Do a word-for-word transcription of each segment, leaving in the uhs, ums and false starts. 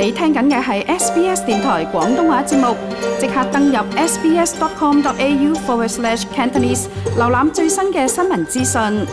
你聽緊嘅係 S B S 電台廣東話節目，即刻登入 sbs.com.au forward slash Cantonese， 瀏覽最新嘅新聞資訊。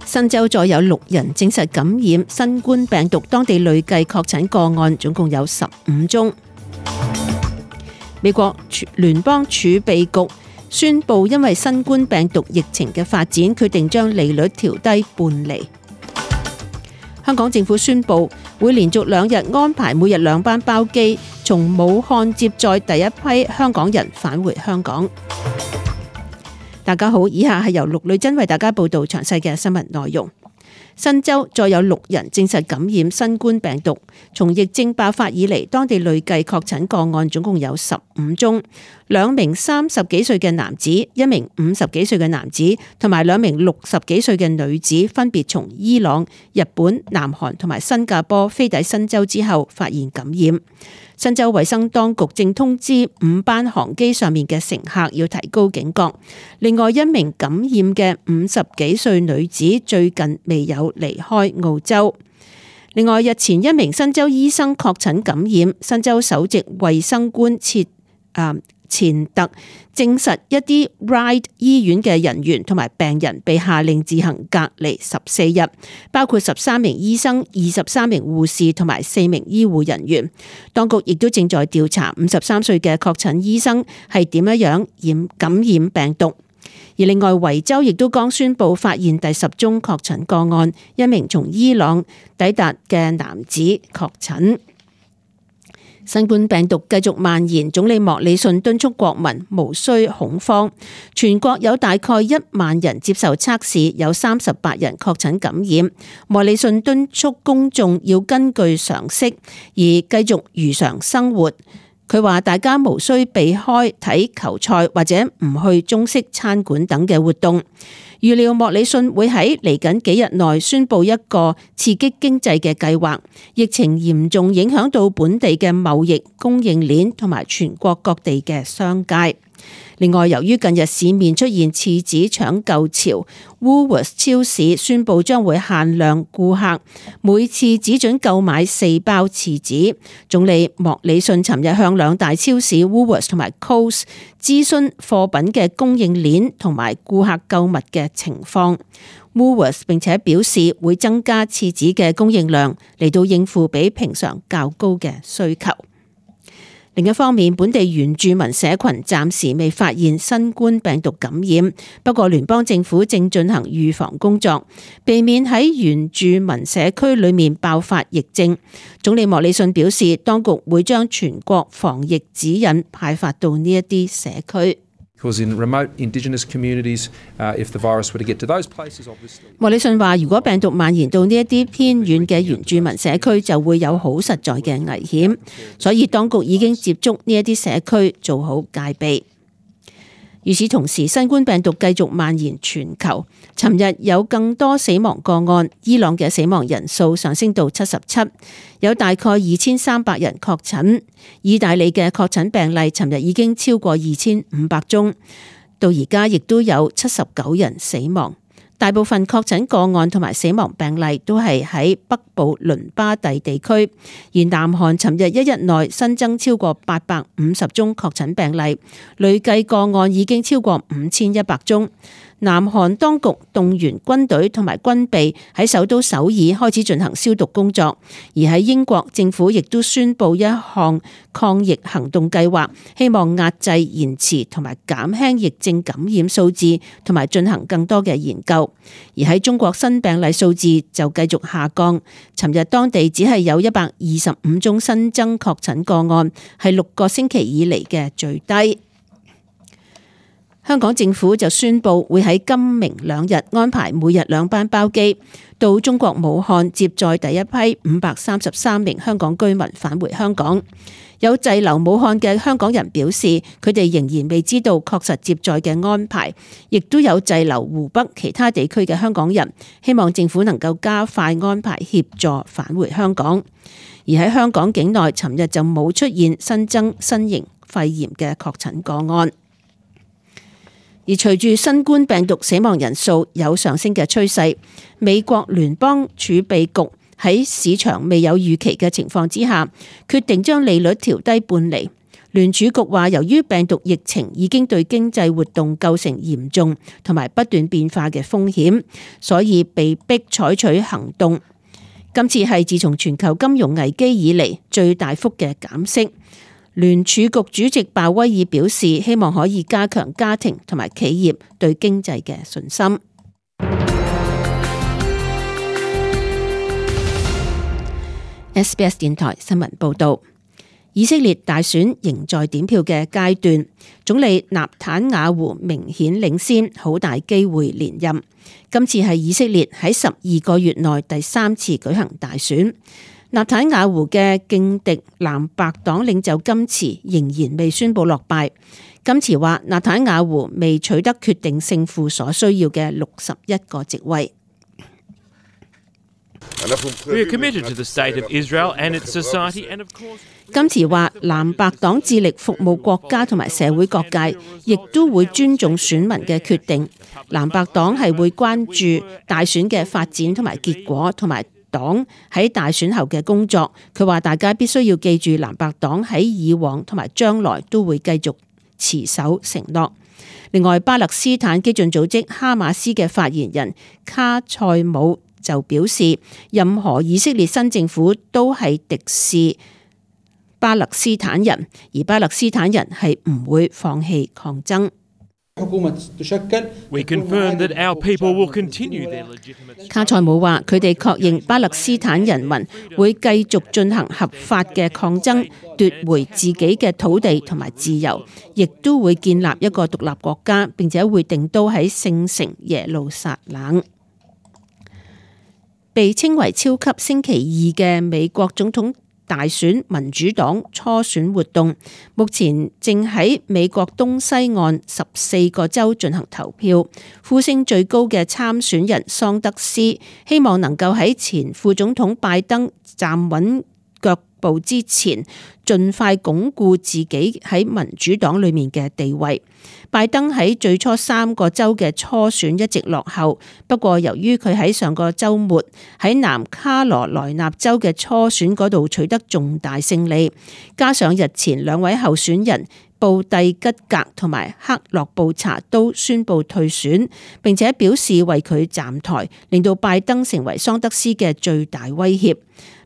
新州再有六人證實感染新冠病毒，當地累計確診個案總共有十五宗。美國聯邦儲備局宣布，因為新冠病毒疫情嘅發展，決定將利率調低半厘。香港政府宣布會連續兩日安排每日兩班包機，從武漢接載第一批香港人返回香港。大家好，以下係由陸女珍為大家報道詳細嘅新聞內容。新州再有六人證實感染新冠病毒，從疫症爆發以嚟，當地累計確診個案總共有十五宗。兩名三十幾歲嘅男子、一名五十幾歲嘅男子同埋兩名六十幾歲嘅女子，分別從伊朗、日本、南韓同埋新加坡飛抵新州之後發現感染。新州衛生當局正通知五班航機上面嘅乘客要提高警覺。另外一名感染嘅五十幾歲女子最近未有離開澳洲。另外日前一名新州醫生確診感染，新州首席衛生官切啊錢特證實一啲 Ryde 醫院嘅人員同埋病人被下令自行隔離十四日，包括十三名醫生、二十三名護士同埋四名醫護人員。當局亦都正在調查五十三歲嘅確診醫生係點樣樣染感染病毒。而另外維州亦都剛宣布發現第十宗確診個案，一名從伊朗抵達嘅男子確診。新冠病毒繼續蔓延，總理莫里遜敦促國民無需恐慌。全國有大概一萬人接受測試，有三十八人確診感染。莫里遜敦促公眾要根據常識而繼續如常生活。佢話大家無需避開睇球賽或者唔去中式餐館等嘅活動。預料莫里遜會喺嚟緊幾日內宣布一個刺激經濟嘅計劃。疫情嚴重影響到本地嘅貿易、供應鏈同埋全國各地嘅商界。另外，由於近日市面出現廁紙搶購潮， Woolworths 超市宣布將會限量顧客每次只准購買四包廁紙。總理莫里遜尋日向兩大超市 Woolworths 同埋 Coles 諮詢貨品嘅供應鏈同埋顧客購物嘅情況。Woolworths 並且表示會增加廁紙嘅供應量，嚟到應付比平常較高嘅需求。另一方面，本地原住民社群暫時未發現新冠病毒感染，不過聯邦政府正進行預防工作，避免喺原住民社區裏面爆發疫症。總理莫里遜表示，當局會將全國防疫指引派發到呢一啲社區。莫里遜話，如果病毒蔓延到呢一啲偏遠嘅原住民社區，就會有好實在嘅危險，所以當局已經接觸呢一啲社區，做好戒備。與此同時，新冠病毒繼續蔓延全球。尋日有更多死亡個案，伊朗嘅死亡人數上升到七十七，有大概二千三百人確診。意大利嘅確診病例尋日已經超過二千五百宗，到而家亦都有七十九人死亡。大部分確診個案同埋死亡病例都係喺北部倫巴第地區，而南韓尋日一日內新增超過八百五十宗確診病例，累計個案已經超過五千一百宗。南韓當局動員軍隊同埋軍備喺首都首爾開始進行消毒工作，而喺英國政府亦都宣布一項抗疫行動計劃，希望壓制、延遲同埋減輕疫症感染數字，同埋進行更多嘅研究。而喺中國新病例數字就繼續下降，尋日當地只係有一百二十五宗新增確診個案，係六個星期以嚟嘅最低。香港政府就宣布會喺今明兩日安排每日兩班包機到中國武漢接載第一批五百三十三名香港居民返回香港。有滯留武漢嘅香港人表示，佢哋仍然未知道確實接載嘅安排，亦都有滯留湖北其他地區嘅香港人，希望政府能夠加快安排協助返回香港。而喺香港境內，尋日就冇出現新增新型肺炎嘅確診個案。而隨住新冠病毒死亡人數有上升嘅趨勢，美國聯邦儲備局喺市場未有預期嘅情況之下，決定將利率調低半厘。聯儲局話，由於病毒疫情已經對經濟活動構成嚴重同埋不斷變化嘅風險，所以被迫採取行動。今次係自從全球金融危機以嚟最大幅嘅減息。聯儲局主席鮑威爾表示，希望可以加強家庭同埋企業對經濟嘅信心。S B S 電台新聞報道，以色列大選仍在點票嘅階段，總理納坦雅胡明顯領先，好大機會連任。今次係以色列喺十二個月內第三次舉行大選。納坦雅胡嘅勁敵藍白黨領袖金茨仍然未宣布落敗。金茨話，納坦雅胡未取得決定勝負所需要嘅六十一個席位。金茨話，藍白黨致力服務國家同埋社會各界，亦都會尊重選民嘅決定。藍白黨係會關注大選嘅發展同埋結果，同埋黨喺大選後嘅工作。佢話大家必須要記住，藍白黨喺以往同埋將來都會繼續持守承諾。另外，巴勒斯坦激進組織哈馬斯嘅發言人卡塞姆就表示，任何以色列新政府都係敵視巴勒斯坦人，而巴勒斯坦人係唔會放棄抗爭。卡塞姆話，佢哋確認巴勒斯坦人民會繼續進行合法嘅抗爭，奪回自己嘅土地同埋自由，亦都會建立一個獨立國家，並且會定都喺聖城耶路撒冷。被稱為超級星期二嘅美國總統大選民主黨初選活動，目前正喺美國東西岸十四個州進行投票。呼聲最高嘅參選人桑德斯希望能夠喺前副總統拜登站穩腳步之前，盡快鞏固自己喺民主黨裏面嘅地位。拜登喺最初三個州嘅初選一直落後，不過由於佢喺上個週末喺南卡羅來納州嘅初選嗰度取得重大勝利，加上日前兩位候選人布蒂吉格同埋克洛布查都宣布退選，並且表示為佢站台，令到拜登成為桑德斯嘅最大威脅。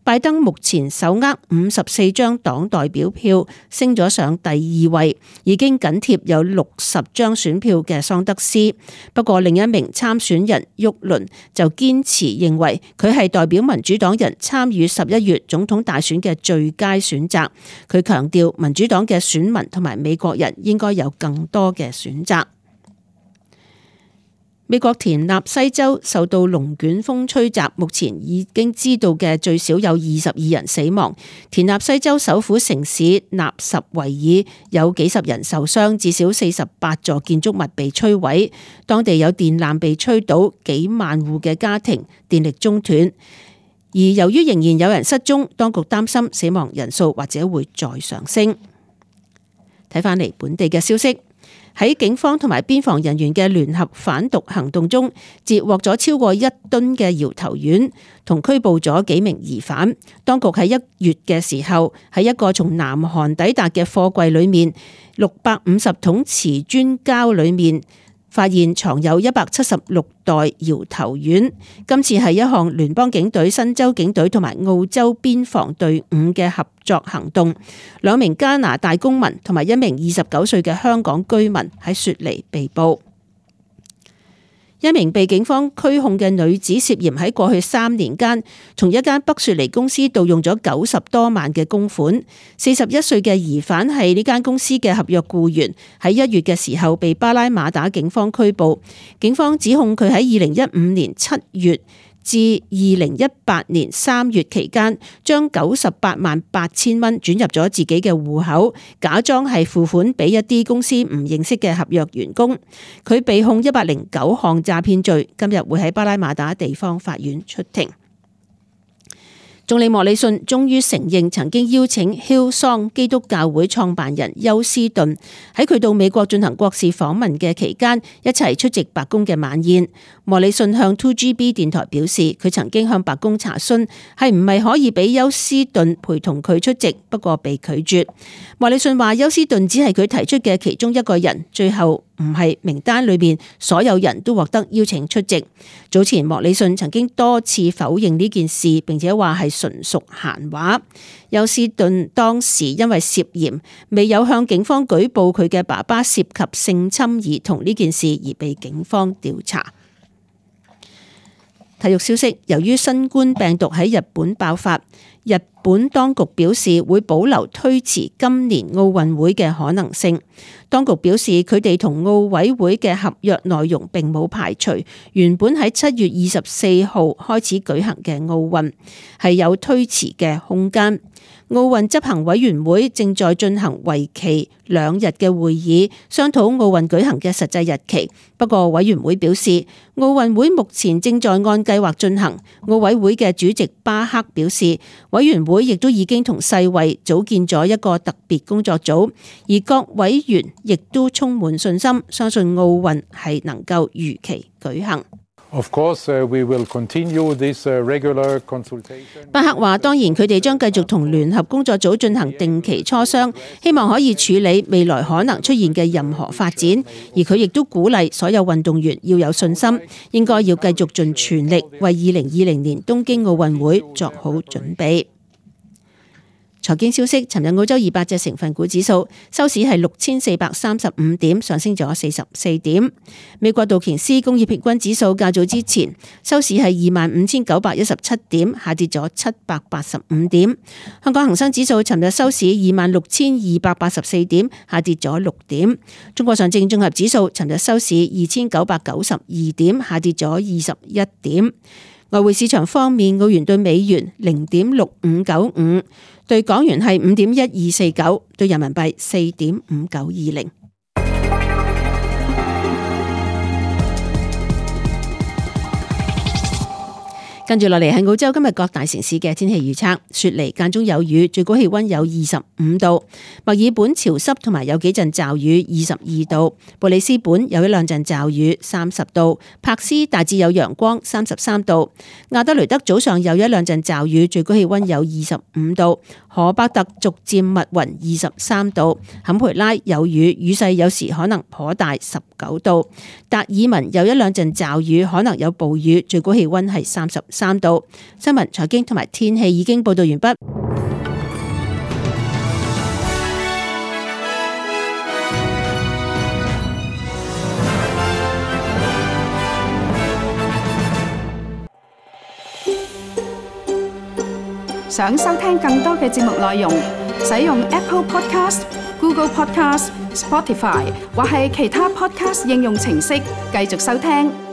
拜登目前手握五十四張黨代表票，升咗上第二位，已經緊貼有六十張選票嘅桑德斯。不過另一名參選人沃倫就堅持認為佢係代表民主黨人參與十一月總統大選嘅最佳選擇。佢強調民主黨嘅選民同埋美國人應該有更多嘅選擇。美國田納西州受到龍捲風吹襲，目前已經知道嘅最少有二十二人死亡。田納西州首府城市納什維爾有幾十人受傷，至少四十八座建築物被摧毀。當地有電纜被吹倒，幾萬戶嘅家庭電力中斷。而由於仍然有人失蹤，當局擔心死亡人數或者會再上升。睇返嚟本地嘅消息。喺警方同埋邊防人員嘅聯合反毒行動中，截獲咗超過一噸嘅搖頭丸，同拘捕咗幾名疑犯。當局喺一月嘅時候，喺一個從南韓抵達嘅貨櫃裏面，六百五十桶瓷磚膠裏面發現藏有一百七十六袋搖頭丸。今次係一項聯邦警隊、新州警隊同埋澳洲邊防隊伍嘅合作行動。兩名加拿大公民同埋一名二十九歲嘅香港居民喺雪梨被捕。一名被警方拘控嘅女子涉嫌喺過去三年間，從一間北雪梨公司盜用咗九十多萬嘅公款。四十一歲嘅疑犯係呢間公司嘅合約僱員，喺一月嘅時候被巴拉馬打警方拘捕。警方指控佢喺二零一五年七月至二零一八年三月期間，將九十八萬八千蚊轉入咗自己嘅戶口，假裝係付款俾一啲公司唔認識嘅合約員工。佢被控一百零九項詐騙罪，今日會喺巴拉馬打地方法院出庭。總理莫里遜終於承認曾經邀請 Hillsong 基督教會創辦人休斯頓喺佢到美國進行國事訪問嘅期間一齊出席白宮嘅晚宴。莫里遜向 two G B 電台表示，佢曾經向白宮查詢係唔係可以俾休斯頓陪同佢出席，不過被拒絕。莫里遜話休斯頓只係佢提出嘅其中一個人，最後唔係名單裏面所有人都獲得邀請出席。早前莫里遜曾經多次否認呢件事，並且話係純屬閒話。休斯頓當時因為涉嫌未有向警方舉報佢嘅爸爸涉及性侵兒童呢件事而被警方調查。體育消息，由於新冠病毒喺日本爆發，日本當局表示會保留推遲今年奧運會嘅可能性。當局表示佢哋同奧委會嘅合約內容並冇排除原本喺七月二十四號開始舉行嘅奧運係有推遲嘅空間。奧運執行委員會正在進行為期兩日嘅會議，商討奧運舉行嘅實際日期。不過委員會表示，奧運會目前正在按計劃進行。奧委會嘅主席巴克表示，委員會亦都已經同世衛組建咗一個特別工作組，而各委員亦都充滿信心，相信奧運係能夠如期舉行。Of course, uh, we will continue this uh, regular consultation. 巴克話：當然，佢哋將繼續同聯合工作組進行定期磋商，希望可以處理未來可能出現嘅任何發展。而佢亦都鼓勵所有運動員要有信心，應該要繼續盡全力為二零二零年東京奧運會作好準備。財經消息，尋日澳洲二百隻成分股指數收市係六千四百三十五點，上升咗四十四點。美國道瓊斯工業平均指數較早之前收市係二萬五千九百一十七點，下跌咗七百八十五點。香港恒生指數尋日收市二萬六千二百八十四點，下跌咗六點。中國上證綜合指數尋日收市二千九百九十二點，下跌咗二十一點。外匯市場方面，澳元對美元零點六五九五，對港元係五點一二四九，對人民幣四點五九二零。跟住落嚟係澳洲今日各大城市嘅天氣預測：雪梨間中有雨，最高氣溫有二十五度；墨爾本潮濕同埋有幾陣驟雨，二十二度；布里斯本有一兩陣驟雨，三十度；柏斯大致有陽光，三十三度；亞德雷德早上有一兩陣驟雨，最高氣溫有二十五度；荷伯特逐漸密雲，二十三度；坎培拉有雨，雨勢有時可能頗大，十九度；達爾文有一兩陣驟雨，可能有暴雨，最高氣溫係三十三度。新聞、財經同埋天氣已經報道完畢。想收聽更多嘅節目內容，使用 Apple Podcast、Google Podcast、Spotify 或係其他 Podcast 應用程式繼續收聽。